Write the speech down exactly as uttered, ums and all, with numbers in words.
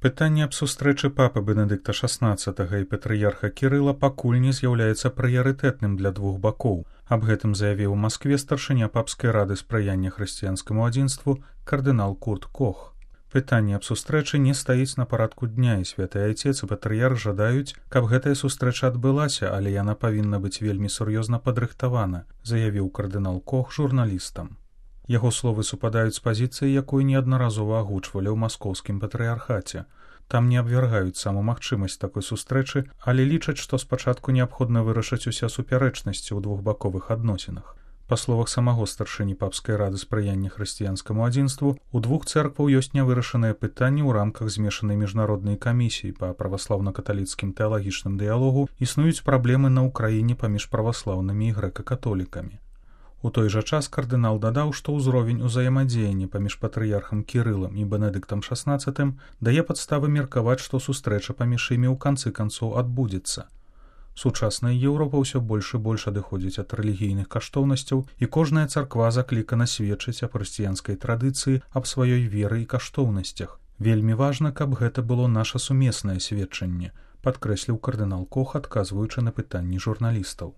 Пытанне аб сустрэчы папы Бенедыкта шаснаццатага і патрыярха Кірыла пакуль не з'яўляецца прыярытэтным для двух бакоў. Аб гэтым заявіў у Маскве старшыня папскай рады спрыяння хрысціянскаму адзінству кардынал Курт Кох. Пытанне аб сустрэчы не стаіць на парадку дня, і святы айцец і патрыярх жадаюць, каб гэтая сустрэча адбылася, але яна павінна быць вельмі сур'ёзна падрыхтавана, заявіў кардынал Кох журналістам. Яго словы супадаюць з пазіцыяй, якую неаднаразова агучвалі ў маскоўскім патрыярхаце. Там не абвяргаюць саму магчымасць такой сустрэчы, але лічаць, што спачатку неабходна вырашыць усе супярэчнасці ў двухбаковых адносінах. Па словах самого старшыні папскай рады спрыяння хрысціянскаму адзінству, у двух цэркваў ёсць нявырашаныя пытанні ў рамках змешанай міжнароднай камісіі па праваслаўна-каталіцкім тэалагічным дыялогу, існуюць праблемы на ўкраіне паміж праваслаўнымі і грэка-католікамі. У той жа час кардынал дадаў, што ўзровень узаемадзеяння паміж патрыярхам Кірылам і Бенедыктам шаснаццатым дае падставы меркаваць, што сустрэча паміж імі ў канцы канцоў адбудзецца. Сучасная Еўропа ўсё больш і больш адыходзіць ад рэлігійных каштоўнасцяў, і кожная царква заклікана сведчыць аб хрысціянскай традыцыі, аб сваёй веры і каштоўнасцях. Вельмі важна, каб гэта было наша сумеснае сведчанне, падкрэсліў кардынал Кох, адказваючы на пытанні журналістаў.